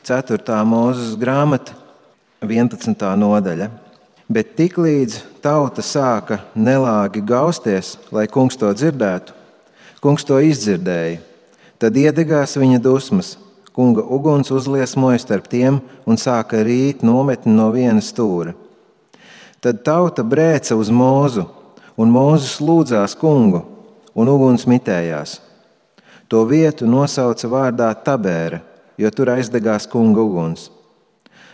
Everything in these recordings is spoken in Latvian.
4. Mūzes grāmata, 11. nodaļa. Bet tiklīdz tauta sāka nelāgi gausties, lai kungs to dzirdētu, kungs to izdzirdēja. Tad iedegās viņa dusmas, kunga uguns uzliesmoja starp tiem un sāka rīt nometni no viena stūra. Tad tauta brēca uz Mūzu, un Mūzes lūdzās kungu, un uguns mitējās. To vietu nosauca vārdā Tabēra, jo tur aizdegās kunga uguns.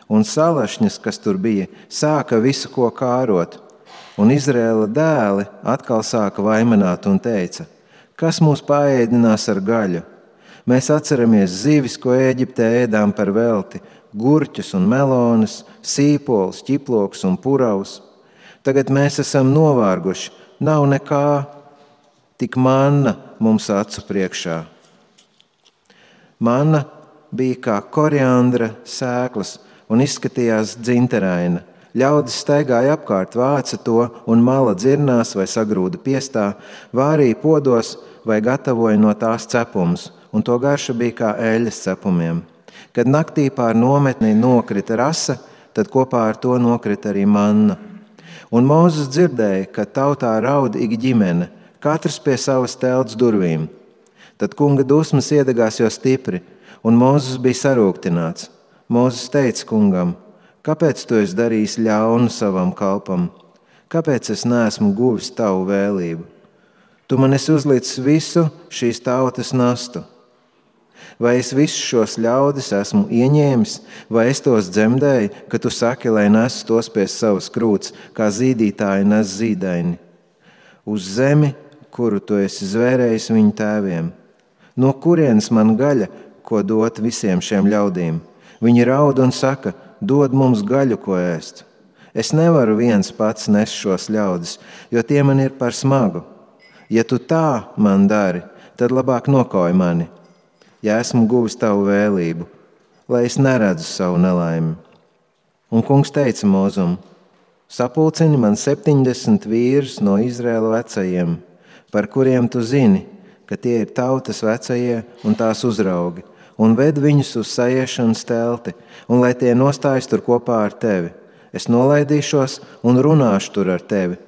Un salašņas, kas tur bija, sāka visu ko kārot, un Izraēla dēli atkal sāka vaimanāt un teica: kas mūs paēdinās ar gaļu? Mēs atceramies zivis, ko Ēģiptē ēdām par velti, gurķus un melonas, sīpols, ķiploks un puravus. Tagad mēs esam novārguši, nav nekā, tik manna mums acu priekšā. Manna bija kā koriandra sēklas un izskatījās dzinteraina. Ļaudis staigāja apkārt, vāca to un mala dzirnās vai sagrūda piestā, vārīja podos vai gatavoja no tās cepumus, un to garša bija kā eļļas cepumiem. Kad naktī pār nometni nokrita rasa, tad kopā ar to nokrita arī manna. Un Mūzes dzirdēja, ka tautā raud ik ģimene, katrs pie savas telts durvīm. Tad kunga dusmas iedegās jo stipri, un Mūzes bija sarūktināts. Mūzes teica kungam: kāpēc tu esi darījis ļaunu savam kalpam? Kāpēc es neesmu guvis tavu vēlību? Tu man esi uzlicis visu šīs tautas nastu. Vai es visus šos ļaudis esmu ieņēmis, vai es tos dzemdēju, ka tu saki, lai nesu tos pie savas krūts, kā zīdītāji nes zīdaini? Uz zemi, kuru tu esi zvērējis viņu tēviem. No kurienes man gaļa, ko dot visiem šiem ļaudīm? Viņi raud un saka: dod mums gaļu, ko ēst. Es nevaru viens pats nest šos ļaudis, jo tie man ir par smagu. Ja tu tā man dari, tad labāk nokauj mani, ja esmu guvis tavu vēlību, lai es neredzu savu nelaimi. Un kungs teica Mūzum: sapulcini man 70 vīrus no Izraēla vecajiem, par kuriem tu zini, ka tie ir tautas vecajie un tās uzraugi, un ved viņus uz saiešanas telti, un lai tie nostājas tur kopā ar tevi. Es nolaidīšos un runāšu tur ar tevi,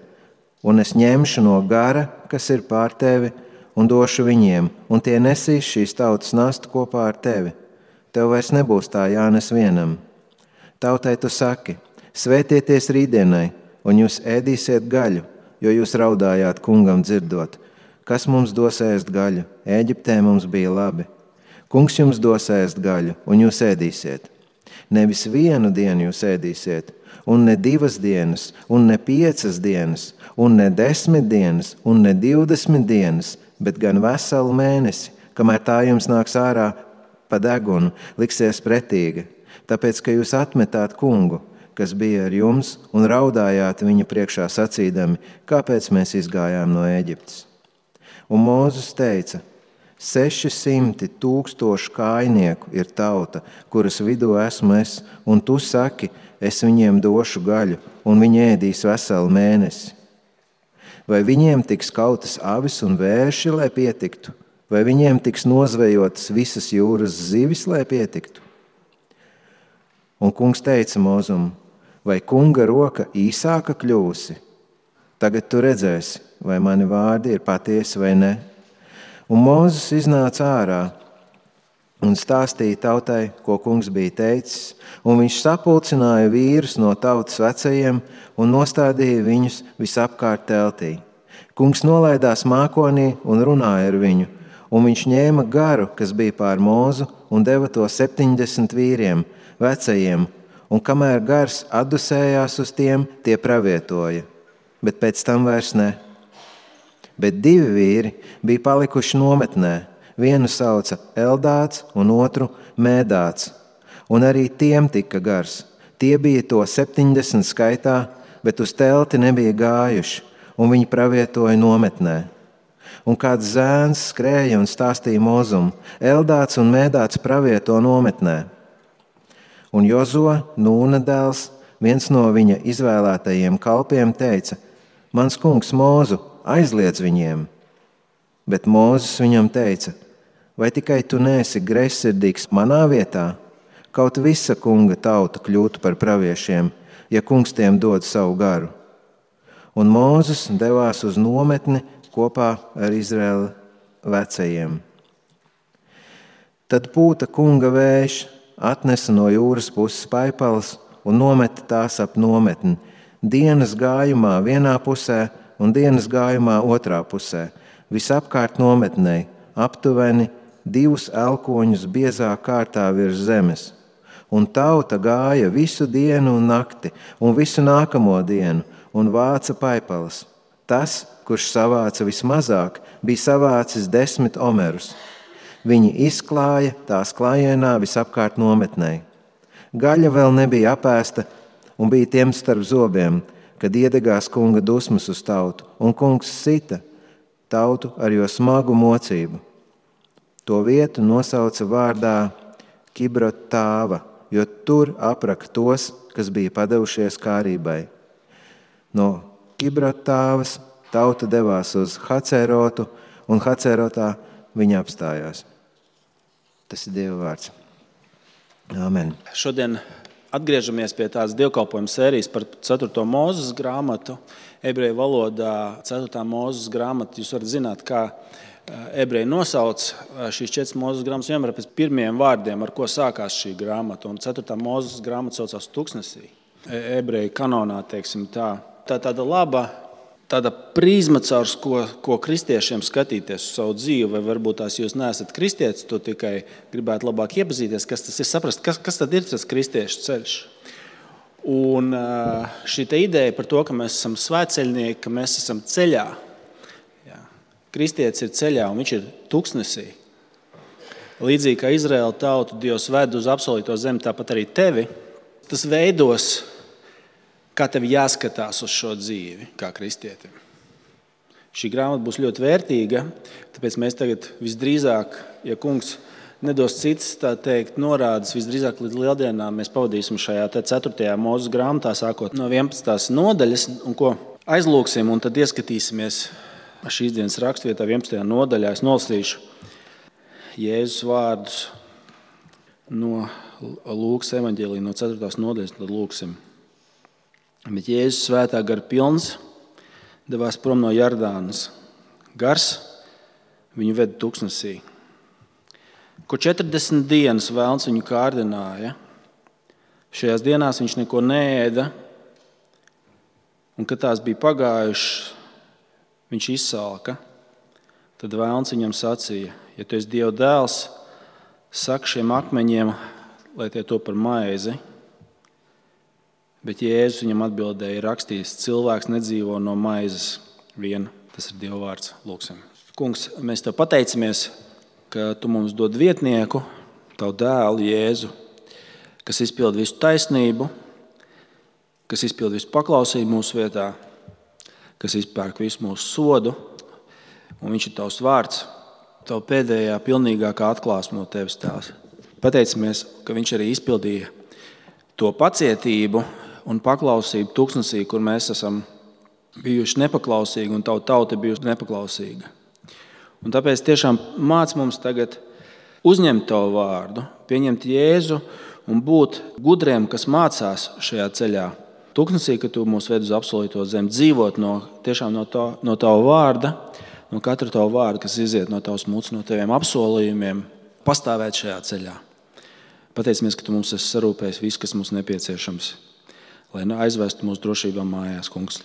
un es ņemšu no gara, kas ir pār tevi, un došu viņiem, un tie nesīs šīs tautas nastu kopā ar tevi. Tev vairs nebūs tā jānes vienam. Tautai tu saki: svētieties rītdienai, un jūs ēdīsiet gaļu, jo jūs raudājāt kungam dzirdot: kas mums dos ēst gaļu? Ēģiptē mums bija labi. Kungs jums dos ēst gaļu, un jūs ēdīsiet. Nevis vienu dienu jūs ēdīsiet, un ne 2 dienas, un ne 5 dienas, un ne 10 dienas, un ne 20 dienas, bet gan veselu mēnesi, kamēr tā jums nāks ārā pa degunu, liksies pretīga, tāpēc, ka jūs atmetāt kungu, kas bija ar jums, un raudājāt viņa priekšā sacīdami: kāpēc mēs izgājām no Ēģiptes? Un Mūzes teica: 600 000 kājnieku ir tauta, kuras vidū esmu es, un tu saki: es viņiem došu gaļu, un viņi ēdīs veselu mēnesi. Vai viņiem tiks kautas avis un vērši, lai pietiktu? Vai viņiem tiks nozvejotas visas jūras zivis, lai pietiktu? Un kungs teica Mūzum: vai kunga roka īsāka kļūsi? Tagad tu redzēsi, vai mani vārdi ir patiesi vai ne. Un Mūzes iznāca ārā un stāstīja tautai, ko kungs bija teicis, un viņš sapulcināja vīrus no tautas vecajiem un nostādīja viņus visapkārt teltī. Kungs nolaidās mākonī un runāja ar viņu, un viņš ņēma garu, kas bija pār Mūzu, un deva to 70 vīriem, vecajiem, un kamēr gars atdusējās uz tiem, tie pravietoja, bet pēc tam vairs ne. Bet 2 vīri bija palikuši nometnē, vienu sauca Eldāts un otru Mēdāts, un arī tiem tika gars. Tie bija to 70 skaitā, bet uz telti nebija gājuši, un viņi pravietoja nometnē. Un kāds zēns skrēja un stāstīja Mūzum: Eldāts un Mēdāts pravieto nometnē. Un Jozo, Nūna dēls, viens no viņa izvēlētajiem kalpiem, teica: mans kungs Mūzu, aizliedz viņiem. Bet Mūzes viņam teica: vai tikai tu neesi greizsirdīgs manā vietā? kaut visa kunga tauta kļūtu par praviešiem, ja kungs tiem dod savu garu. Un Mūzes devās uz nometni kopā ar Izraēla vecajiem. Tad pūta kunga vējš, atnesa no jūras puses paipalas un nometa tās ap nometni, dienas gājumā vienā pusē un dienas gājumā otrā pusē, visapkārt nometnei, aptuveni 2 elkoņus biezā kārtā virs zemes. Un tauta gāja visu dienu un nakti, un visu nākamo dienu, un vāca paipalas. Tas, kurš savāca vismazāk, bija savācis 10 omerus. Viņi izklāja tās klājienā visapkārt nometnei. Gaļa vēl nebija apēsta un bija tiem starp zobiem, kad iedegās kunga dusmas uz tautu, un kungs sita tautu ar jo smagu mocību. To vietu nosauca vārdā Kibrotāva, jo tur apraka tos, kas bija padevušies kārībai. No Kibrotāvas tauta devās uz Hacerotu, un Hacerotā viņa apstājās. Tas ir Dieva vārds. Āmen. Šodien atgriežamies pie tādas dievkalpojuma sērijas par 4. Mūzes grāmatu. Ebreju valodā 4. Mūzes grāmatu jūs varat zināt, kā ebreji nosauc šīs 4 Mūzes grāmatas vienmēr pēc pirmiem vārdiem, ar ko sākās šī grāmata. Un 4. Mūzes grāmata saucās Tuksnesī. Ebreju kanonā, teiksim tā. Tā tāda laba tāda prizma, caur ko kristiešiem skatīties uz savu dzīvi, vai varbūt tās jūs neesat kristietis, to tikai gribētu labāk iepazīties, kas tas ir, saprast, kas tad ir tas kristiešu ceļš. Un šī ideja par to, ka mēs esam svētceļnieki, ka mēs esam ceļā. Jā. Kristietis ir ceļā un viņš ir tuksnesī. Līdzīgi kā Izraēla tautu Dievs ved uz apsolīto zemi, tāpat arī tevi. Tas veidos, kā tev jāskatās uz šo dzīvi, kā kristietim. Šī grāmata būs ļoti vērtīga, tāpēc mēs tagad visdrīzāk, ja kungs nedos citas, tā teikt, norādes, visdrīzāk līdz lieldienām mēs pavadīsim šajā 4. Mūzes grāmatā, sākot no 11. nodaļas, un ko aizlūksim, un tad ieskatīsimies šīs dienas rakstvietā 11. nodaļā. Es nolasīšu Jēzus vārdus no Lūkas evaņģēlija, no 4. nodaļas, tad lūksim. Bet Jēzus svētā gara pilns devās prom no Jardānas. Gars viņu veda tuksnesī. Ko 40 dienas velns viņu kārdināja. Šajās dienās viņš neko neēda, un kad tās bija pagājušas, viņš izsalka. Tad velns viņam sacīja: ja tu esi Dieva dēls, saki šiem akmeņiem, lai tie to par maizi. Bet Jēzus viņam atbildēja, ir rakstīts, cilvēks nedzīvo no maizes vien. Tas ir Dieva vārds. Lūksim. Kungs, mēs tev pateicamies, ka tu mums dod vietnieku, tavu dēlu Jēzu, kas izpild visu taisnību, kas izpild visu paklausību mūsu vietā, kas izpērk visu mūsu sodu, un viņš ir tavs vārds, tavu pēdējā pilnīgākā atklāsme no tevis tās. Pateicamies, ka viņš arī izpildīja to pacietību un paklausību tuksnesī, kur mēs esam bijuši nepaklausīgi un tavu tauta bijusi nepaklausīga. Un tāpēc tiešām māc mums tagad uzņemt tavu vārdu, pieņemt Jēzu un būt gudriem, kas mācās šajā ceļā. Tuksnesī, ka tu mūs ved uz apsolīto zemi, dzīvot tiešām no tava vārda, no katra tava vārda, kas iziet no tavas mutes, no taviem apsolījumiem, pastāvēt šajā ceļā. Pateicamies, ka tu mums esi sarūpējis visu, kas mums nepieciešams, lai aizvestu mūsu drošībā mājās, kungs.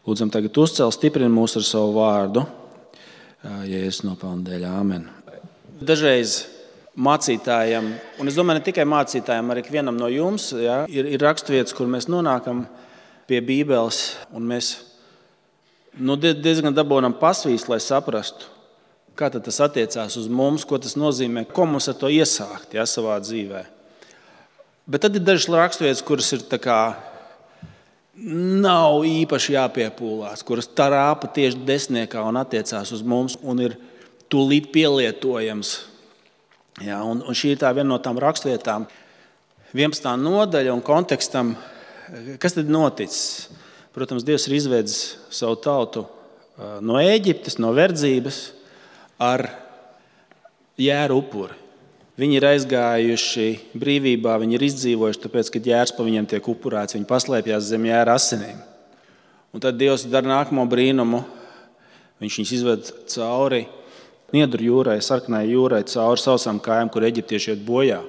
Lūdzam tagad uzcel, stiprini mūs ar savu vārdu, Jēzus nopelna dēļ. Āmen. Dažreiz mācītājiem, un es domāju, ne tikai mācītājiem, arī ikvienam no jums, ja, ir raksturvietas, kur mēs nonākam pie Bībeles, un mēs diezgan dabūnam pasvīst, lai saprastu, kā tad tas attiecās uz mums, ko tas nozīmē, ko mums ar to iesākt, ja, savā dzīvē. Bet tad ir dažas raksturvietas, kuras ir tā kā nav īpaši jāpiepūlās, kuras tarāpa tieši desmitniekā un attiecās uz mums un ir tūlīt pielietojams. Ja, un šī ir tā viena no tām raksturvietām, 11. nodaļa un kontekstam, kas tad noticis? Protams, Dievs ir izvedis savu tautu no Ēģiptes, no verdzības ar jēru upuri. Viņi ir aizgājuši brīvībā, viņi ir izdzīvojuši, tāpēc, ka ģērs pa viņiem tiek upurēts, viņi paslēpjās zem ģēra asinīm. Un tad Dievs dara nākamo brīnumu. Viņš viņus izved cauri Niedru jūrai, sarkanai jūrai, cauri sausām kājām, kur eģiptieši iet bojā.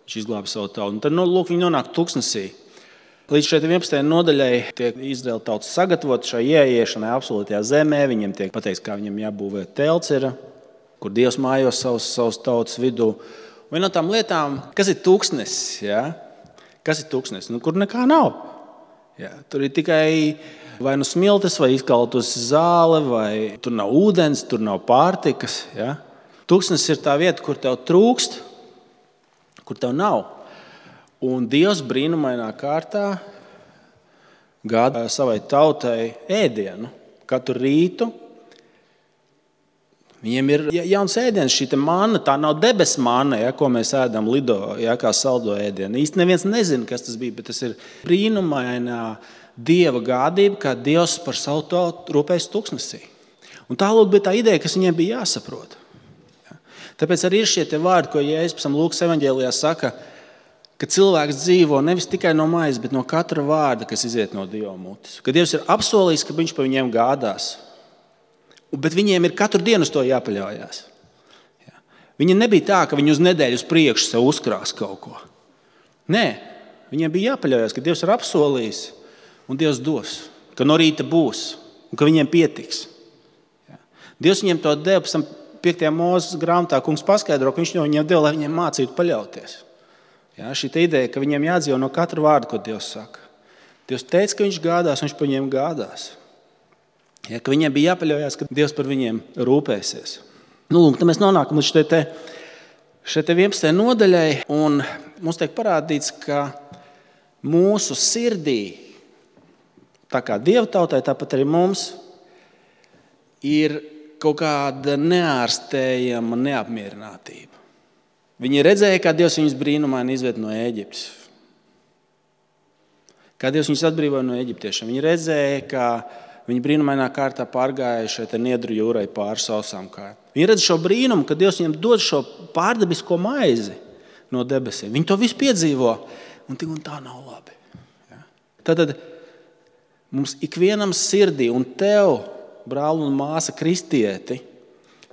Viņš izglāba savu tautu. Un tad viņi nonāk tuksnesī. Līdz šai 11. nodaļai tiek Izraēla tauta sagatavota šai ieiešanai absolūtajā zemē. Viņiem tiek pateikts, kā viņiem jābūvē telts, kur Dievs mājos savas tautas vidū. Viena no tām lietām, kas ir tuksnesis, ja? Kas ir tuksnesis? Kur nekā nav. Ja? Tur ir tikai vai nu smiltis, vai izkaltus zāle, vai tur nav ūdens, tur nav pārtikas. Ja? Tuksnesis ir tā vieta, kur tev trūkst, kur tev nav. Un Dievs brīnumainā kārtā gādā savai tautai ēdienu katru rītu. Viņiem ir jauns ēdiens, šī manna, tā nav debesu manna, ja, ko mēs ēdam lido, ja, kā saldo ēdienu. Īsti neviens nezina, kas tas bija, bet tas ir brīnumainā Dieva gādība, kā Dievs par savu tautu rūpējas tuksnesī. Un tā bija tā ideja, kas viņiem bija jāsaprot. Ja. Tāpēc arī ir šie vārdi, ko Jēzus pēc tam Lūkas evaņģēlijā saka, ka cilvēks dzīvo nevis tikai no maizes, bet no katra vārda, kas iziet no Dieva mutes. Ka Dievs ir apsolījis, ka viņš par viņiem gādās. Bet viņiem ir katru dienu uz to jāpaļaujas. Ja. Viņi nebija tā, ka viņi uz nedēļu uz priekšu sev uzkrās kaut ko. Nē, viņiem bija jāpaļaujas, ka Dievs ir apsolījis un Dievs dos. Ka no rīta būs un ka viņiem pietiks. Ja. Dievs viņiem to deva, pēc tam 5. Mūzes grāmatā kungs paskaidro, ka viņš viņiem deva, lai viņiem mācītu paļauties. Ja, šī ideja, ka viņiem jādzīvo no katra vārda, ko Dievs saka. Dievs teica, ka viņš gādās, viņš par viņiem gādās. Ja, ka viņiem bija jāpaļaujas, ka Dievs par viņiem rūpēsies. Tad mēs nonākam līdz šai 11. nodaļai, un mums tiek parādīts, ka mūsu sirdī, tā kā Dieva tautai, tāpat arī mums, ir kaut kāda neārstējama neapmierinātība. Viņi redzēja, kā Dievs viņus brīnumaini izved no Ēģiptes. Kā Dievs viņus atbrīvoja no eģiptiešiem. Viņi redzēja, kā viņi brīnumainā kārtā pārgāja šeit Niedru jūrai pāri sausām kājām. Viņi redz šo brīnumu, ka Dievs viņiem dod šo pārdabisko maizi no debesīm. Viņi to visu piedzīvo, un tā nav labi. Ja? Tad mums ikvienam sirdī, un tev, brāl un māsa kristieti,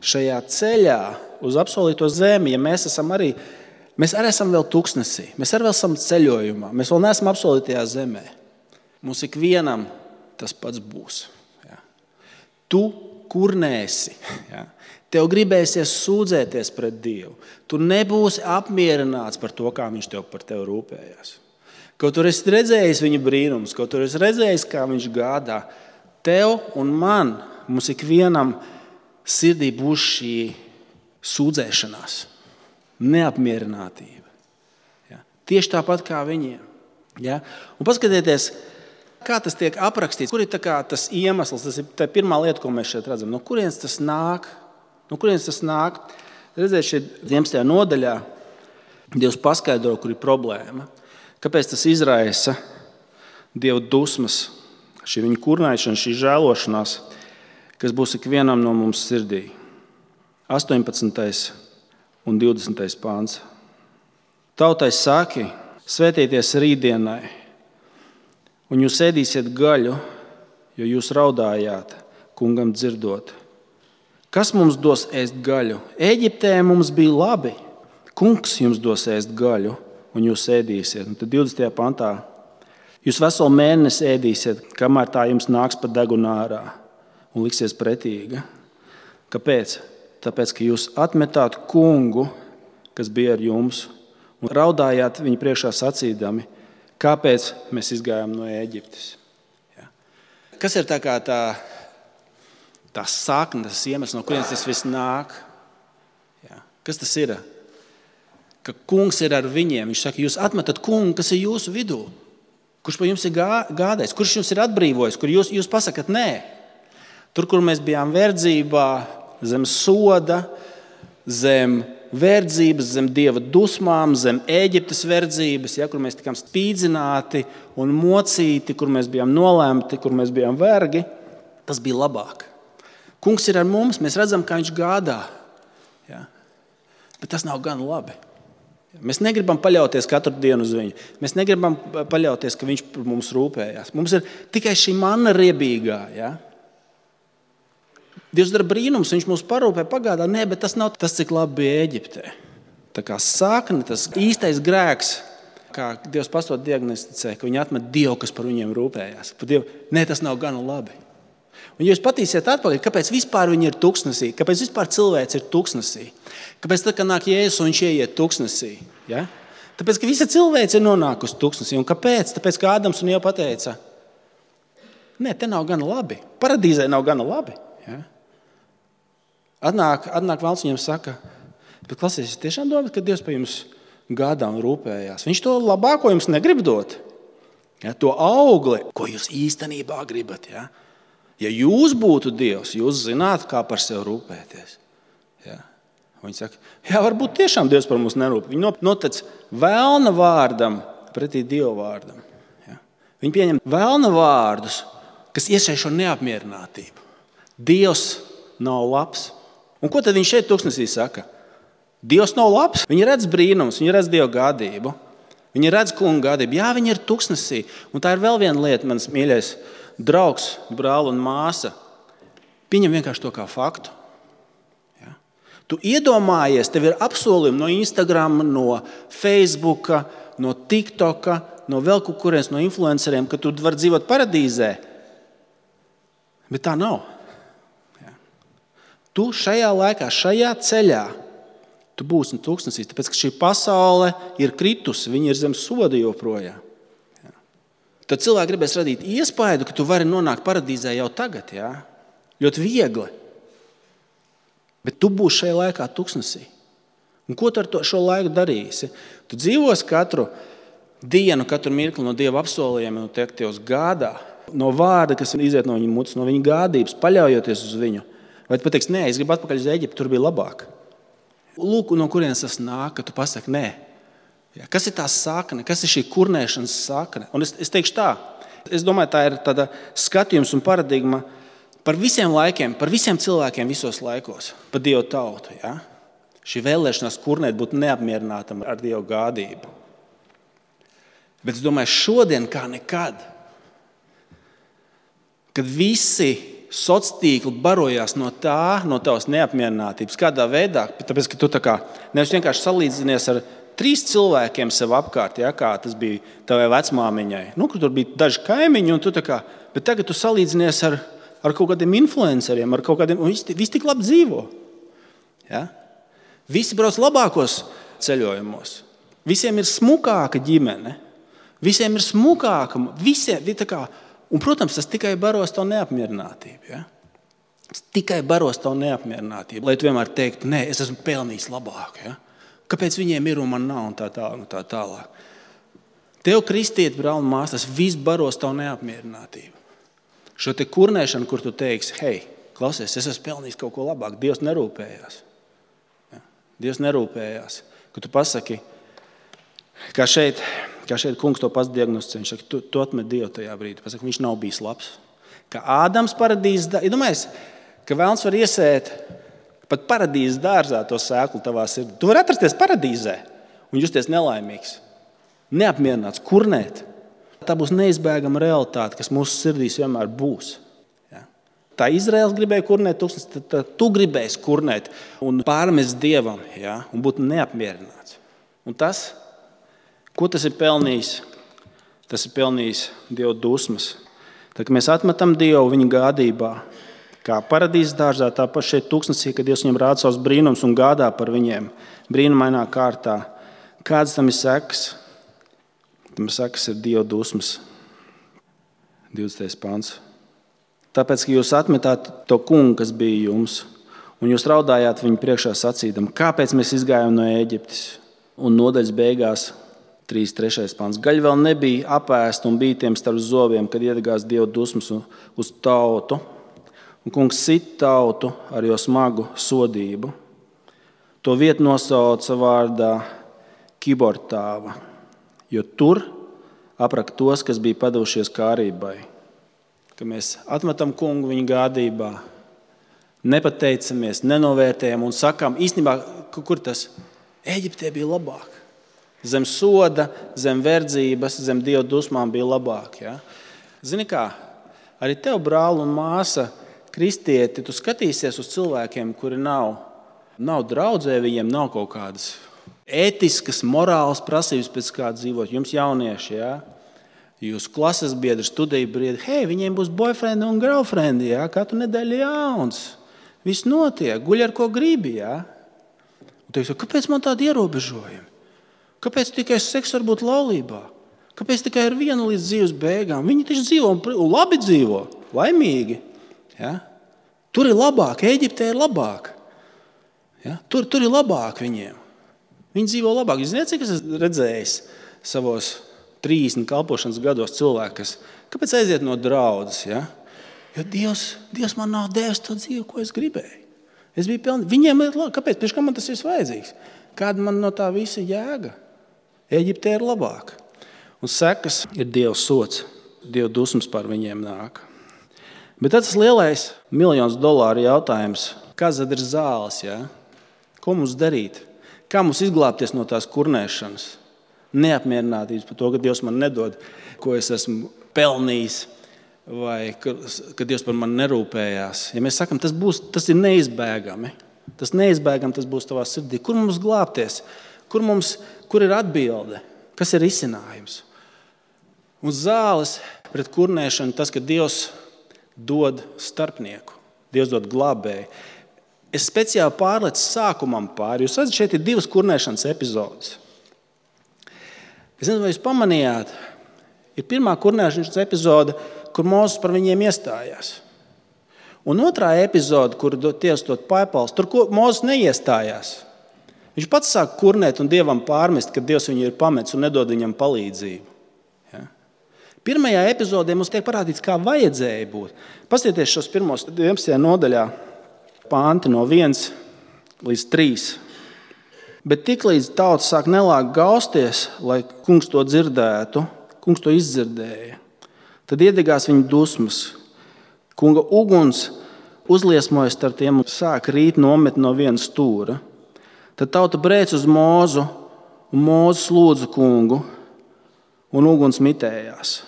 šajā ceļā uz apsolīto zemi, ja mēs arī esam vēl tuksnesī, mēs arī vēl esam ceļojumā, mēs vēl neesam apsolītajā zemē. Mums ikvienam tas pats būs. Ja. Tu kurnēsi, ja. Tev gribēsies sūdzēties pret Dievu. Tu nebūsi apmierināts par to, kā viņš par tevi rūpējās. Kaut tur esi redzējis viņa brīnums, kaut tur esi redzējis, kā viņš gādā. Tev un man, mums ikvienam sirdī būs šī sūdzēšanās, neapmierinātība. Ja. Tieši tāpat kā viņiem. Ja. Un paskatieties, kā tas tiek aprakstīts, kur ir tas iemesls, tas ir tā pirmā lieta, ko mēs šeit redzam. No kurienes tas nāk? Redziet, šeit 11. nodaļā Dievs paskaidro, kur ir problēma. Kāpēc tas izraisa Dieva dusmas, šī viņa kurnēšana, šī žēlošanās, kas būs ikvienam no mums sirdī. 18. un 20. pāns. Tautai saki, svētīties rītdienai, un jūs ēdīsiet gaļu, jo jūs raudājāt, kungam dzirdot. Kas mums dos ēst gaļu? Ēģiptē mums bija labi. Kungs jums dos ēst gaļu, un jūs ēdīsiet. Un tad 20. pantā. Jūs veselu mēnesi ēdīsiet, kamēr tā jums nāks pa degunu ārā un liksies pretīga. Kāpēc? Tāpēc, ka jūs atmetāt kungu, kas bija ar jums, un raudājāt viņu priekšā sacīdami, kāpēc mēs izgājām no Ēģiptes. Ja. Kas ir tā sakne, tas iemesls, no kurienes tas viss nāk? Ja. Kas tas ir? Ka kungs ir ar viņiem. Viņš saka, jūs atmetat kungu, kas ir jūsu vidū. Kurš par jums ir gādājis? Kurš jums ir atbrīvojis? Kur jūs pasakat nē? Tur, kur mēs bijām verdzībā, zem soda, zem verdzības, zem Dieva dusmām, zem Ēģiptes verdzības, ja, kur mēs tikām spīdzināti un mocīti, kur mēs bijām nolēmti, kur mēs bijām vergi, tas bija labāk. Kungs ir ar mums, mēs redzam, kā viņš gādā. Ja. Bet tas nav gan labi. Mēs negribam paļauties katru dienu uz viņu. Mēs negribam paļauties, ka viņš par mums rūpējās. Mums ir tikai šī manna riebīgā. Ja? Dievs dara brīnums, viņš mūs parūpē pagādā. Nē, bet tas nav tas, cik labi bija Ēģiptē. Tā kā sakne, tas īstais grēks, kā Dievs pastot diagnosticē, ka viņi atmet Dievu, kas par viņiem rūpējās. Par Dievu, nē, tas nav gana labi. Un ja jūs patīsiet atpakaļ, kāpēc vispār viņi ir tuksnesī, kāpēc vispār cilvēks ir tuksnesī, kāpēc tad, kad nāk Jēzus un viņš ieiet tuksnesī, ja? Tāpēc, ka visa cilvēks ir nonākusi tuksnesī. Un kāpēc? Tāpēc, ka Ādams un Ieva pateica, nē, te nav gana labi, paradīzē nav gana labi. Ja? Atnāk Velns viņam saka, bet klausies, es tiešām domāju, ka Dievs par jums gādā un rūpējās. Viņš to labāko jums negrib dot. Ja? To augli, ko jūs īstenībā gribat, ja? Ja jūs būtu Dievs, jūs zinātu, kā par sevi rūpēties. Ja? Viņi saka, jā, varbūt tiešām Dievs par mums nerūp. Viņi notec velna vārdam pretī Dieva vārdam. Ja? Viņi pieņem velna vārdus, kas iesēj šo neapmierinātību. Dievs nav labs. Un ko tad viņš šeit tuksnesī saka? Dievs nav labs. Viņi redz brīnums, viņi redz Dieva gādību. Viņi redz kunga gādību. Jā, viņi ir tuksnesī. Un tā ir vēl viena lieta, mans mīļais draugs, brāl un māsa, pieņem vienkārši to kā faktu. Ja? Tu iedomājies, tev ir apsolījumi no Instagram, no Facebooka, no TikToka, no vēl kaut kurienes, no influenceriem, ka tu vari dzīvot paradīzē. Bet tā nav. Ja? Tu šajā laikā, šajā ceļā, tu būsi tuksnesī, tāpēc, ka šī pasaule ir kritusi, viņa ir zem soda joprojām. Tad cilvēki gribēs radīt iespaidu, ka tu vari nonākt paradīzē jau tagad. Ja? Ļoti viegli. Bet tu būsi šajā laikā tuksnesī. Un ko tu ar šo laiku darīsi? Tu dzīvosi katru dienu, katru mirkli no Dieva apsolījumiem, no Dievs gādā, no vārda, kas iziet no viņa mutes, no viņa gādības, paļaujoties uz viņu. Vai tu pateiksi, nē, es gribu atpakaļ uz Eģiptu, tur bija labāk. Lūk, no kurienes tas nāk, ka tu pasaki, nē. Ja, kas ir tā sakne? Kas ir šī kurnēšanas sakne? Un es teikšu tā, es domāju, tā ir tāda skatījums un paradigma par visiem laikiem, par visiem cilvēkiem visos laikos, par Dievu tautu. Ja? Šī vēlēšanās kurnēt būt neapmierinātam ar Dievu gādību. Bet es domāju, šodien kā nekad, kad visi sociālie tīkli barojās no tavas neapmierinātības, kādā veidā, tāpēc, ka tu tā kā nevis vienkārši salīdzinies ar 3 cilvēkiem sev apkārt, ja, kā tas bija tavai vecmāmiņai. Kur tur bija daži kaimiņi, bet tagad tu salīdzinies ar kaut kādiem influenceriem, ar kaut kādiem, un visi tik labi dzīvo. Ja? Visi brauc labākos ceļojumos. Visiem ir smukāka ģimene. Visiem ir smukāka. Un, protams, tas tikai baros tavu neapmierinātību. Ja? Tas tikai baros tavu neapmierinātību. Lai tu vienmēr teiktu, nē, es esmu pelnījis labāk. Ja? Kāpēc viņiem ir un man nav un tā tālāk. Tev, kristieti, brāl un māsas, tas viss baros tavu neapmierinātību. Šo te kurnēšanu, kur tu teiksi, hei, klausies, es esmu pelnījis kaut ko labāk, Dievs nerūpējās. Ja? Dievs nerūpējās. Ka tu pasaki, kā šeit kungs to pats diagnosticē, viņš saka, tu atmet Dievu tajā brīdī. Pasaki, viņš nav bijis labs. Kā Ādams paradīzes, iedomājies, ka Velns var iesēt pat paradīzes dārzā to sēklu tavā sirdī. Tu vari atrasties paradīzē un justies nelaimīgs, neapmierināts, kurnēt. Tā būs neizbēgama realitāte, kas mūsu sirdīs vienmēr būs. Ja? Tā Izraels gribēja kurnēt tuksnes, tad tu gribēsi kurnēt un pārmest Dievam, ja? Un būt neapmierināts. Un tas, ko tas ir pelnījis? Tas ir pelnījis Dieva dusmas. Tad, kad mēs atmetam Dievu viņa gādībā, kā paradīzes dārzā, tāpat šeit tuksnesī, kad Dievs viņiem rāda savus brīnums un gādā par viņiem brīnumainā kārtā. Kādas tam ir sekas? Tam sekas ir Dieva dusmas. 20. pants. Tāpēc, ka jūs atmetāt to kungu, kas bija jums, un jūs raudājāt viņu priekšā sacīdam, kāpēc mēs izgājām no Ēģiptes? Un nodaļas beigās 3. pants. Gaļa vēl nebija apēsta un bija tiem starp zobiem, kad iedegās Dieva dusmas uz tautu. Un kungs sit tautu ar jo smagu sodību. To vietu nosauca vārdā Kibortāva, jo tur apraka tos, kas bija padevušies kārībai. Ka mēs atmetam kungu viņa gādībā, nepateicamies, nenovērtējam un sakām, īstenībā, kur tas? Ēģiptē bija labāk. Zem soda, zem verdzības, zem Dieva dusmām bija labāk. Ja? Zini kā, arī tev, brāl un māsa, kristieti, tu skatīsies uz cilvēkiem, kuri nav draudzē, viņiem nav kaut kādas ētiskas, morālas prasības pēc kā dzīvot. Jums jaunieši, ja? Jūsu klases biedri, studiju biedri, hei, viņiem būs boyfriend un girlfriend, ja? Katru nedēļu jauns. Viss notiek, guļ ar ko gribi. Ja? Un teiks, kāpēc man tādi ierobežojumi? Kāpēc tikai seks var būt laulībā? Kāpēc tikai ar vienu līdz dzīves beigām? Viņi taču dzīvo un labi dzīvo, laimīgi. Ja? Tur ir labāk, Ēģiptē ir labāk. Ja? Tur ir labāk viņiem. Viņi dzīvo labāk. Jūs zināt, cik es esmu redzējis savos 30 kalpošanas gados cilvēku, kāpēc aiziet no draudzes? Ja? Jo Dievs man nav devis to dzīvi, ko es gribēju. Es biju pilnīgi. Viņiem ir labi. Kāpēc? Pēc kā man tas ir vajadzīgs? Kāda man no tā visa jēga? Ēģiptē ir labāk. Un sekas ir Dieva sots. Dieva dusmas par viņiem nāk. Bet tas lielais $1 000 jautājums. Kas tad ir zāles? Ja? Ko mums darīt? Kā mums izglābties no tās kurnēšanas? Neapmierinātības par to, ka Dievs man nedod, ko es esmu pelnījis, vai ka Dievs par mani nerūpējās. Ja mēs sakam, tas ir neizbēgami. Tas neizbēgami, tas būs tavā sirdī. Kur mums glābties? Kur ir atbilde? Kas ir risinājums? Un zāles pret kurnēšanu tas, ka Dievs dod starpnieku. Dievs dod glābēju. Es speciāli pārlecu sākumam pāri. Jūs redzat, šeit ir 2 kurnēšanas epizodes. Es nezinu, vai jūs pamanījāt, ir pirmā kurnēšanas epizode, kur Mūzes par viņiem iestājās. Un otrā epizode, kur Dievs dod paipals, tur Mūzes neiestājās. Viņš pats sāk kurnēt un Dievam pārmest, ka Dievs viņu ir pametis un nedod viņam palīdzību. Ja? Pirmajā epizodē mums tiek parādīts, kā vajadzēja būt. Paskatieties šos pirmos 11. nodaļā panti no 1 līdz 3. Bet tiklīdz tauta sāk nelāk gausties, lai kungs to dzirdētu, kungs to izdzirdēja, tad iedegās viņa dusmas. Kunga uguns uzliesmojas starp tiem un sāk rīt nomet no viena stūra. Tad tauta brēc uz Mūzu, un Mūzes lūdza kungu, un uguns mitējās.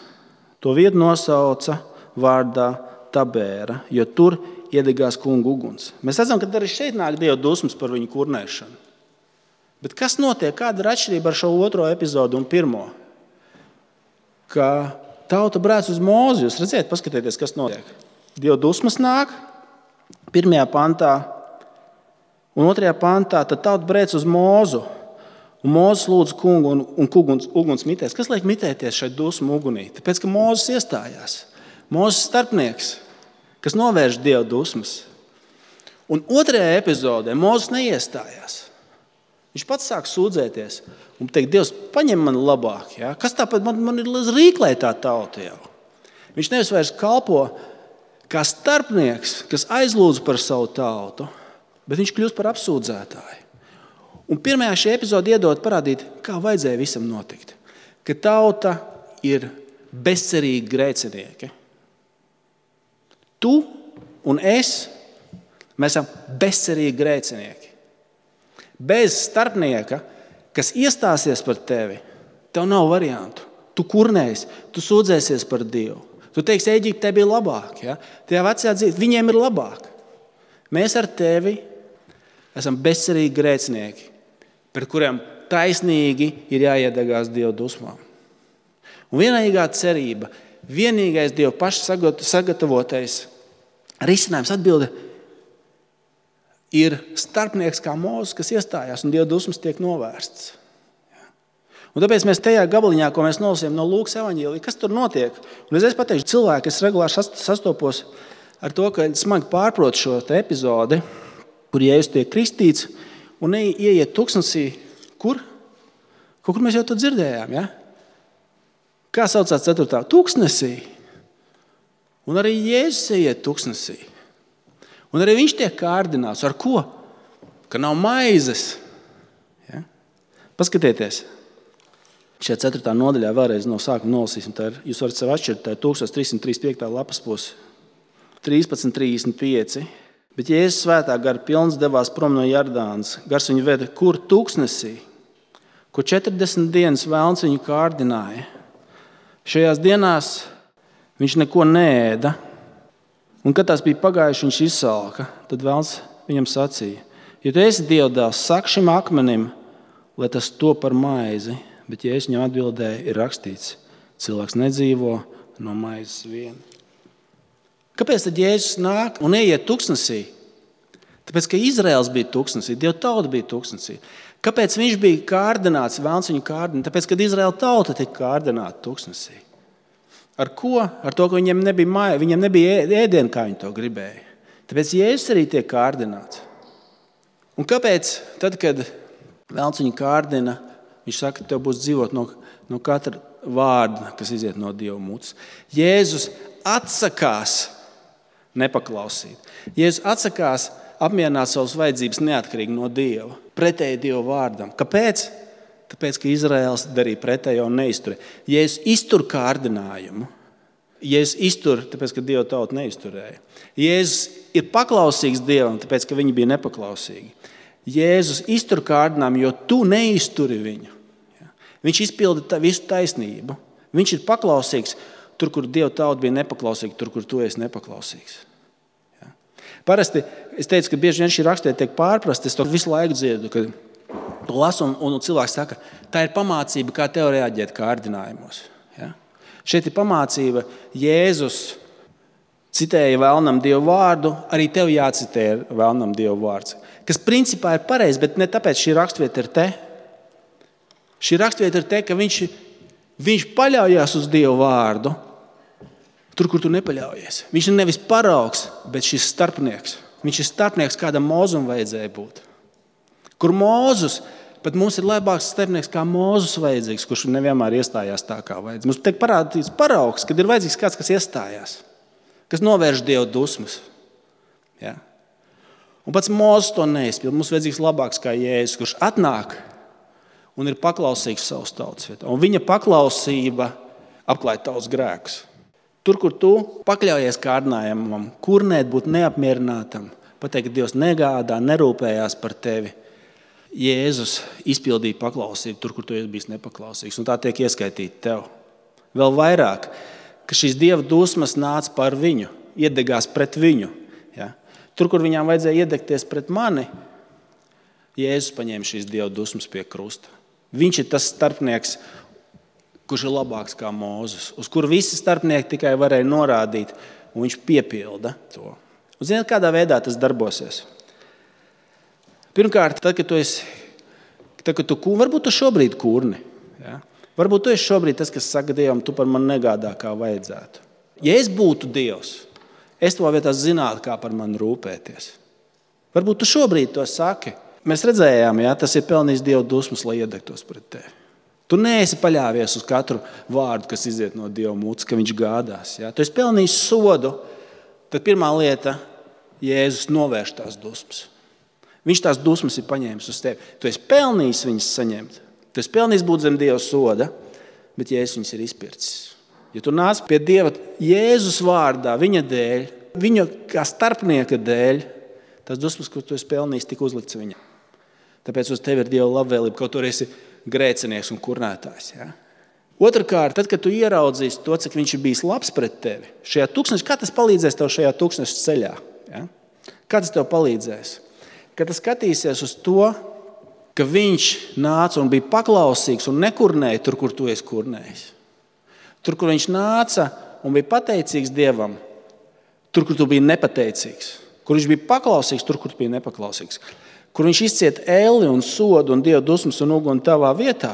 To vietu nosauca vārdā Tabēra, jo tur iedegās kunga uguns. Mēs redzam, ka arī šeit nāk Dieva dusmas par viņu kurnēšanu. Bet kas notiek? Kāda ir atšķirība ar šo otro epizodu un pirmo? Ka tauta brēc uz Mūzu. Jūs redzēt, paskatieties, kas notiek. Dieva dusmas nāk 1. pantā un 2. pantā, tad tauta brēc uz Mūzu. Un Mūzes lūdza kungu un uguns mitēs. Kas liek mitēties šai dusmu ugunī? Tāpēc, ka Mūzes iestājās. Mūzes starpnieks, kas novērš Dieva dusmas. Un 2. epizodē Mūzes neiestājās. Viņš pats sāk sūdzēties un teikt, Dievs, paņem mani labāk. Ja? Kas tāpēc man ir rīklē tā tauta jau? Viņš nevis vairs kalpo kā starpnieks, kas aizlūdz par savu tautu, bet viņš kļūst par apsūdzētāju. Un pirmajā šī epizode iedod parādīt, kā vajadzēja visam notikt. Ka tauta ir bezcerīgi grēcinieki. Tu un es, mēs esam bezcerīgi grēcinieki. Bez starpnieka, kas iestāsies par tevi, tev nav variantu. Tu kurnēsi, tu sūdzēsies par Dievu. Tu teiksi, Ēģiptē bija labāk. Ja? Tajā vecajā dzīvē viņiem ir labāk. Mēs ar tevi esam bezcerīgi grēcinieki, par kuriem taisnīgi ir jāiedegās Dieva dusmām. Un vienīgā cerība, vienīgais Dieva paša sagatavotais risinājums atbilde ir starpnieks kā Mūzes, kas iestājās un Dieva dusmas tiek novērsts. Un tāpēc mēs tajā gabaliņā, ko mēs nolasījām no Lūkas evaņģēlija, kas tur notiek? Un es pateikšu, cilvēki, es regulāri sastopos ar to, ka smagi pārprot šo epizodi, kur Jēzus tiek kristīts un ieiet tuksnesī. Kur? Kur mēs jau to dzirdējām, ja? Kā saucās 4. tuksnesī? Un arī Jēzus ieiet tuksnesī. Un arī viņš tiek kārdināts. Ar ko? Ka nav maizes. Ja? Paskatieties. Šajā 4. nodaļā vēlreiz no sākuma nolasīsim. Jūs varat sev atšķirt, tā ir 1335. lapas puse. 13.35. Bet Jēzus svētā gara pilns devās prom no Jordānas. Gars viņu veda kur tūkstnesī, kur 40 dienas velns viņu kārdināja. Šajās dienās viņš neko neēda, un kad tās bija pagājušas, viņš izsalka. Tad velns viņam sacīja: ja tu esi Dieva dēls, saki šim akmenim, lai tas top par maizi. Bet Jēzus viņam atbildēja: ir rakstīts, cilvēks nedzīvo no maizes vien. Kāpēc tad Jēzus nāk un ieiet tūkstnesī? Tāpēc, ka Izraels bija tūkstnesī, Dieva tauta bija tūkstnesī. Kāpēc viņš bija kārdināts, velns viņu kārdināja? Tāpēc, kad Izraela tauta tika kārdināta tūkstnesī. Ar ko? Ar to, ka viņiem nebija ēdienu, kā viņi to gribēja. Tāpēc Jēzus arī tiek kārdināts. Un kāpēc tad, kad velns viņu kārdina, viņš saka, ka tev būs dzīvot no katra vārda, kas iziet no Dieva mutes? Jēzus atsakās nepaklausīt. Jēzus atsakās apmierināt savas vajadzības neatkarīgi no Dieva, pretēji Dieva vārdam. Kāpēc? Tāpēc, ka Izraels darīja pretējo un neizturēja. Jēzus iztur kārdinājumu. Jēzus iztur, tāpēc, ka Dieva tauta neizturēja. Jēzus ir paklausīgs Dievam, tāpēc, ka viņi bija nepaklausīgi. Jēzus iztur kārdinājumu, jo tu neizturi viņu. Viņš izpilda visu taisnību. Viņš ir paklausīgs tur, kur Dieva tauta bija nepaklausīga, tur, kur tu esi nepaklausīgs. Parasti es teicu, ka bieži vien šī raksturība tiek pārprasta. Es to visu laiku dziedu, kad to lasu, un cilvēks saka, tā ir pamācība, kā tev reaģēt kārdinājumos. Ja? Šeit ir pamācība, Jēzus citēja vēlnam Dievu vārdu, arī tev jācitē vēlnam Dievu vārds. Kas principā ir pareizi, bet ne tāpēc šī raksturvieta ir te. Šī raksturvieta ir te, ka viņš paļaujās uz Dievu vārdu, tur, kur tu nepaļaujies. Viņš ir nevis paraugs, bet šis starpnieks. Viņš ir starpnieks, kādam Mūzum vajadzēja būt. Kur Mūzus, pat mums ir labāks starpnieks, kā Mūzus vajadzīgs, kurš nevienmēr iestājās tā, kā vajadzīgs. Mums tiek parādīts paraugs, kad ir vajadzīgs kāds, kas iestājās, kas novērš Dieva dusmas. Ja? Un pats Mūzus to neizpild. Mums vajadzīgs labāks kā Jēzus, kurš atnāk un ir paklausīgs savas tautas vietā. Un viņa paklausība apklāj tavus grēkus. Tur, kur tu pakļaujies kārdinājumam, kurnēt, būt neapmierinātam, pateikt, ka Dievs negādā, nerūpējās par tevi, Jēzus izpildīja paklausību tur, kur tu esi bijis nepaklausīgs. Un tā tiek ieskaitīta tev. Vēl vairāk, ka šīs Dieva dusmas nāca par viņu, iedegās pret viņu. Ja? Tur, kur viņām vajadzēja iedegties pret mani, Jēzus paņēma šīs Dieva dusmas pie krusta. Viņš ir tas starpnieks, kurš ir labāks kā Mūzes, uz kuru visi starpnieki tikai varēja norādīt, un viņš piepilda to. Un ziniet, kādā veidā tas darbosies? Pirmkārt, tad, kad tu varbūt tu šobrīd kurni, ja? Varbūt tu esi šobrīd tas, kas saka Dievam, tu par mani negādā, kā vajadzētu. Ja es būtu Dievs, es tavā vietā zinātu, kā par mani rūpēties. Varbūt tu šobrīd to saki. Mēs redzējām, ja, tas ir pelnījis Dieva dusmas, lai iedegtos pret tevi. Tu neesi paļāvies uz katru vārdu, kas iziet no Dieva mutes, ka viņš gādās. Ja? Tu esi pelnījis sodu, tad pirmā lieta, Jēzus novērš tās dusmas. Viņš tās dusmas ir paņēmis uz tevi. Tu esi pelnījis viņas saņemt. Tu esi pelnījis būt zem Dieva soda, bet Jēzus viņas ir izpircis. Ja tu nāc pie Dieva Jēzus vārdā, viņa dēļ, viņa kā starpnieka dēļ, tās dusmas, ko tu esi pelnījis, tika uzlikts viņam. Tāpēc uz tevi ir Dieva labvēlība, kaut tur esi grēcinieks un kurnētājs. Ja? Otrkārt, tad, kad tu ieraudzīsi to, cik viņš ir bijis labs pret tevi, šajā tūkstneša, kā tas palīdzēs tev šajā tūkstneša ceļā? Ja? Kā tas tev palīdzēs? Kad tu skatīsies uz to, ka viņš nāca un bija paklausīgs un nekurnēja tur, kur tu esi kurnējis. Tur, kur viņš nāca un bija pateicīgs Dievam, tur, kur tu biji nepateicīgs. Kur viņš bija paklausīgs, tur, kur tu biji nepaklausīgs. Kur viņš izciet ēli un sodu un Dieva dusmas un uguni tavā vietā,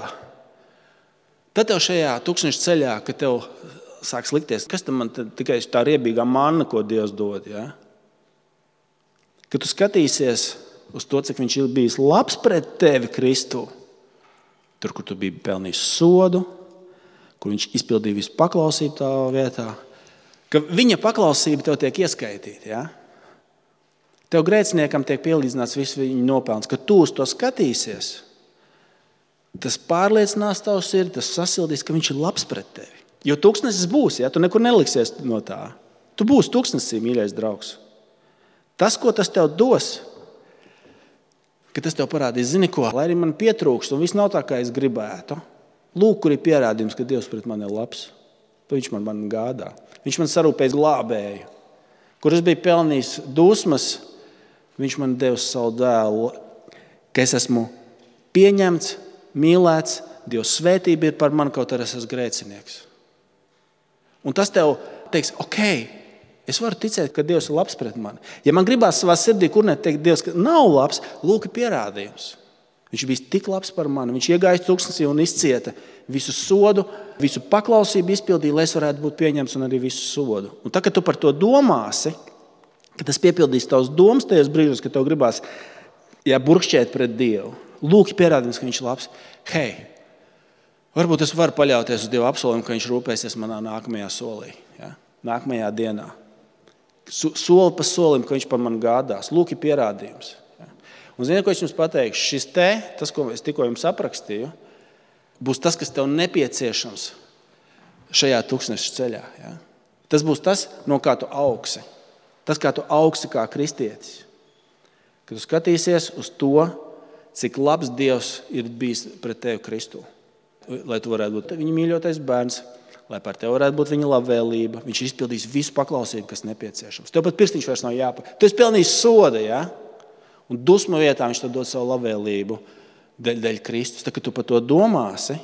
tad tev šajā tūkstneša ceļā, kad tev sāks likties, kas tam man tikai tā riebīgā manna, ko Dievs dod, ja? Kad tu skatīsies uz to, cik viņš ir bijis labs pret tevi, Kristu, tur, kur tu biji pelnījis sodu, kur viņš izpildīja visu paklausību tavā vietā, ka viņa paklausība tev tiek ieskaitīta, ja? Tev grēciniekam tiek pielīdzināts viss viņa nopelns, ka tu uz to skatīsies. Tas pārliecinās tavu sirdi, tas sasildīs, ka viņš ir labs pret tevi. Jo tūkstnesis būs, ja? Tu nekur neliksies no tā. Tu būsi tūkstnesī, mīļais draugs. Tas, ko tas tev dos, ka tas tev parādīs, zini ko, lai arī man pietrūkst un viss nav tā, kā es gribētu. Lūk, kur ir pierādījums, ka Dievs pret mani ir labs. Viņš man gādā. Viņš man sarūpēs glābēju. Kur es biju pelnījis dusmas, viņš man devis savu dēlu, ka es esmu pieņemts, mīlēts, Dievs svētība ir par mani, kaut arī es esmu grēcinieks. Un tas tev teiks, ok, es varu ticēt, ka Dievs ir labs pret mani. Ja man gribās savā sirdī kurnēt teikt, Dievs, ka nav labs, lūk, ir pierādījums. Viņš bija tik labs par mani. Viņš iegāja tūkstnesī un izcieta visu sodu, visu paklausību izpildīja, lai es varētu būt pieņemts un arī visu sodu. Un tā, kad tu par to domāsi, ka tas piepildīs tavas domas tajos brīžos, kad tev gribās burkšķēt pret Dievu. Lūk, pierādījums, ka viņš ir labs. Hei, varbūt es varu paļauties uz Dieva apsolījumu, ka viņš rūpēsies manā nākamajā solī, nākamajā dienā. Soli pa solim, ka viņš par mani gādās. Lūk, ir pierādījums. Un ziniet, ko es jums pateikšu? Tas, ko es tikko jums aprakstīju, būs tas, kas tev nepieciešams šajā tūkstneša ceļā. Ja? Tas būs tas, no kā tu augsi. Tas, kā tu augsi kā kristietis. Kad tu skatīsies uz to, cik labs Dievs ir bijis pret tevi Kristu. Lai tu varētu būt viņa mīļotais bērns, lai par tevi varētu būt viņa labvēlība. Viņš izpildīs visu paklausību, kas nepieciešams. Tev pat pirkstiņš vairs nav jāpa. Tu esi pelnījis soda, ja? Un dusmu vietā viņš tev dod savu labvēlību dēļ Kristus. Tā, kad tu par to domāsi,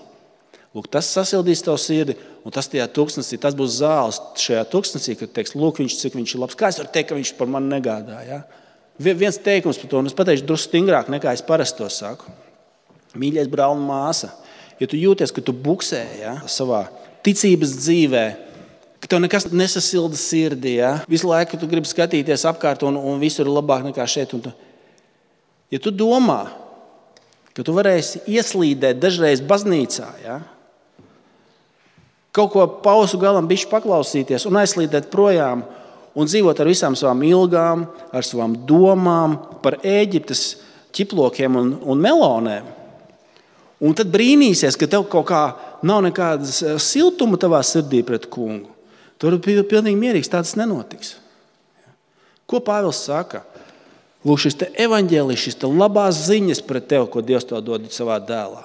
lūk, tas sasildīs tavu sirdi, un tas tajā tūkstnesī, tas būs zāles šajā tūkstnesī, kad teiks, lūk, cik viņš ir labs. Kā es varu teikt, ka viņš par mani negādā? Ja? Viens teikums par to, un es pateikšu drusku stingrāk, nekā es parasti to saku. Mīļais brāl un māsa, ja tu jūties, ka tu buksē savā ticības dzīvē, ka tev nekas nesasilda sirdī, visu laiku tu gribi skatīties apkārt un visur ir labāk nekā šeit. Ja tu domā, ka tu varēsi ieslīdēt dažreiz baznīcā, kaut ko pausu galam bišķi paklausīties un aizslīdēt projām un dzīvot ar visām savām ilgām, ar savām domām par Ēģiptes ķiplokiem un melonēm, un tad brīnīsies, ka tev kaut kā nav nekādas siltuma tavā sirdī pret kungu, tu vari būt pilnīgi mierīgs, tāds nenotiks. Ko Pāvils saka? Lūk, šis te evaņģēlijs, šis te labās ziņas pret tevi, ko Dievs tev dod savā dēlā.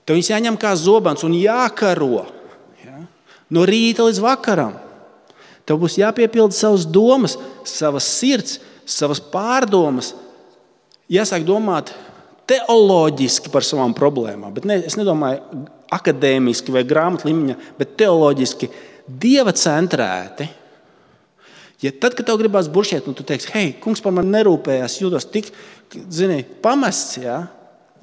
Tev viņas jāņem kā zobens un jākaro. No rīta līdz vakaram. Tev būs jāpiepilda savas domas, savas sirds, savas pārdomas. Jāsāk domāt teoloģiski par savām problēmām. Bet es nedomāju akadēmiski vai grāmatu līmeņā, bet teoloģiski Dieva centrēti. Ja tad, kad tev gribās buršēt, un tu teiksi, hei, kungs par mani nerūpējās, jūtos tik, pamests,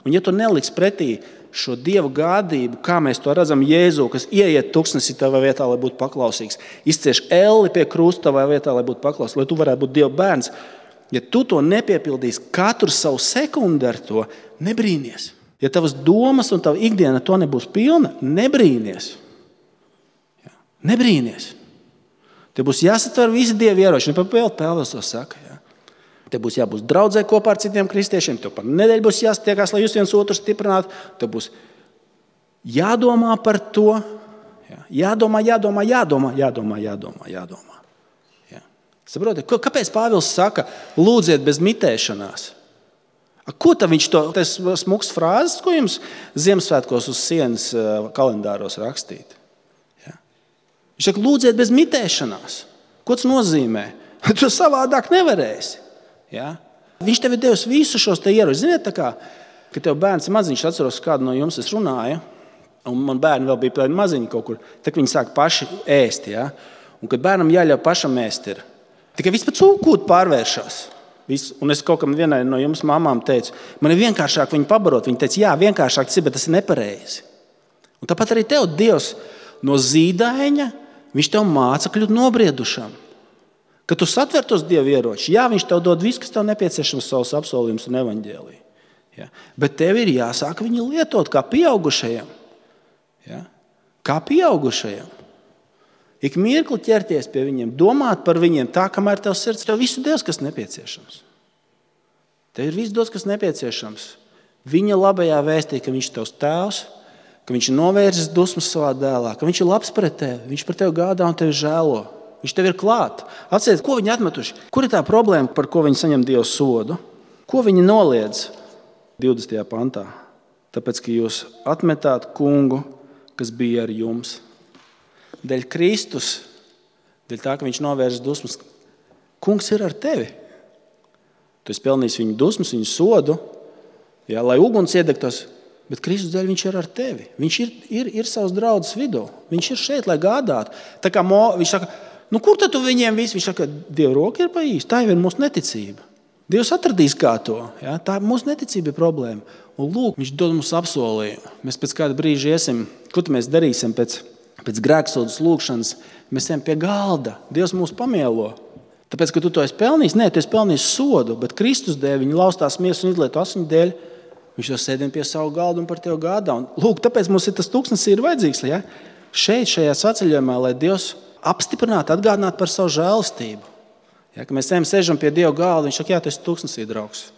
un ja tu neliks pretī šo Dieva gādību, kā mēs to redzam Jēzu, kas ieiet tūkstnesī tavā vietā, lai būtu paklausīgs, izcieš elli pie krusta tavā vietā, lai būtu paklausīgs, lai tu varētu būt Dieva bērns, ja tu to nepiepildīsi katru savu sekundi ar to, nebrīnies. Ja tavas domas un tava ikdiena to nebūs pilna, nebrīnies. Nebrīnies. Te būs jāsatver visi Dieva ieroči. Pāvils to saka. Te būs jābūt draudzē kopā ar citiem kristiešiem. Tev par nedēļu būs jāstiekās, lai jūs viens otru stiprinātu. Tev būs jādomā par to. Jādomā. Saprotiet, kāpēc Pāvils saka, lūdziet bez mitēšanās? Ko tad viņš to, tas smuks frāzes, ko jums Ziemassvētkos uz sienas kalendāros rakstīt? Viņš saka, lūdziet bez mitēšanās. Ko tas nozīmē? Tu savādāk nevarēsi. Ja? Viņš tev ir devis visu šos te ieročus. Ziniet, tā kā, kad tev bērns ir maziņš, atceros, kādu no jums es runāju, un man bērni vēl bija maziņi kaut kur, tad viņi sāk paši ēst. Ja? Un kad bērnam jāļauj pašam ēst ir, tikai viss pēc cūkūtu pārvēršas. Un es kaut kam vienai no jums mamām teicu, man ir vienkāršāk viņu pabarot. Viņa teica, jā, vienkāršāk tas ir, bet tas ir nepareizi. Un tāpat arī tev Dievs no zīdaiņa, viņš tev māca kļūt nobriedušam. Kad tu satver tos Dieva ieročus, jā, viņš tev dod visu, kas tev nepieciešams, savus apsolījumus un evaņģēliju. Ja? Bet tev ir jāsāk viņu lietot kā pieaugušajam. Ja? Kā pieaugušajam. Ik mirkli ķerties pie viņiem, domāt par viņiem tā, kamēr tev sirds, tev visu Dievs, kas nepieciešams. Tev ir viss Dievs, kas nepieciešams. Viņa labajā vēstī, ka viņš ir tavs tēvs, ka viņš ir novērzis dusmas savā dēlā, ka viņš ir labs pret tevi, viņš par tevi gādā un tevi žēlo. Viņš tev ir klāt. Atcerieties, ko viņi atmetuši? Kur ir tā problēma, par ko viņi saņem Dieva sodu? Ko viņi noliedz 20. pantā? Tāpēc, ka jūs atmetāt kungu, kas bija ar jums. Dēļ Kristus, dēļ tā, ka viņš novērš dusmas, kungs ir ar tevi. Tu esi pelnījis viņu dusmas, viņu sodu, jā, lai uguns iedegtos, bet Kristus dēļ viņš ir ar tevi. Viņš ir savs draudzes vidū. Viņš ir šeit, lai gādātu. Tā kā viņš saka, kur tad tu viņiem visi? Viņš saka, Dieva roka ir pa īstu. Tā jau ir mūsu neticība. Dievs atradīs kā to. Ja? Tā mūsu neticība ir problēma. Un lūk, viņš dod mums apsolījumu. Mēs pēc kāda brīža iesim, ko mēs darīsim pēc grēksodas lūkšanas. Mēs ejam pie galda. Dievs mūs pamielo. Tāpēc, ka tu to esi pelnījis, tu esi pelnījis sodu, bet Kristus dēļ viņa laustās miesas un izlieto asiņu dēļ. Viņš jau sēdien pie savu galdu un par tevi gādā. Un, lūk, tāpēc mums ir tas tūkstnesis ir vajadzīgs. Ja? Šeit, šajā saceļojumā, lai Dievs apstiprinātu, atgādinātu par savu žēlastību. Ja? Kad mēs sēžam pie Dieva galda, viņš saka, jā, tu esi tūkstnesī, draugs.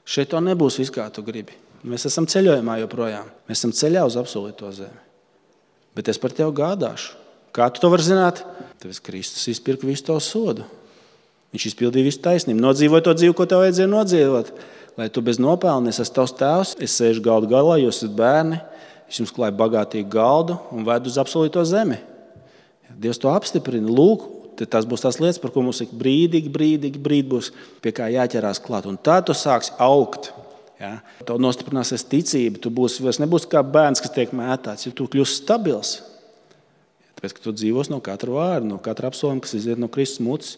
Šeit to nebūs viss, kā tu gribi. Mēs esam ceļojumā joprojām. Mēs esam ceļā uz apsolīto zemi. Bet es par tevi gādāšu. Kā tu to vari zināt? Tāpēc Kristus izpirka visu tavu sodu. Viņš izpildīja visu taisnību. Nodzīvoja to dzīvi, ko tev vajadzēja nodzīvot. Lai tu bez nopelna, es esmu tavs tēvs, es sēžu galdu galā, jūs esat bērni, es jums klāju bagātīgu galdu un vedu uz apsolīto zemi. Dievs to apstiprina. Lūk, tas būs tās lietas, par ko mums ir brīdīgi būs pie kā jāķerās klāt. Un tā tu sāksi augt. Ja? Tev nostiprināsies ticība, tu vairs nebūsi kā bērns, kas tiek mētāts, jo tu kļūsi stabils. Tāpēc, ka tu dzīvos no katra vārda, no katra apsolījuma, kas iziet no Kristus mutes.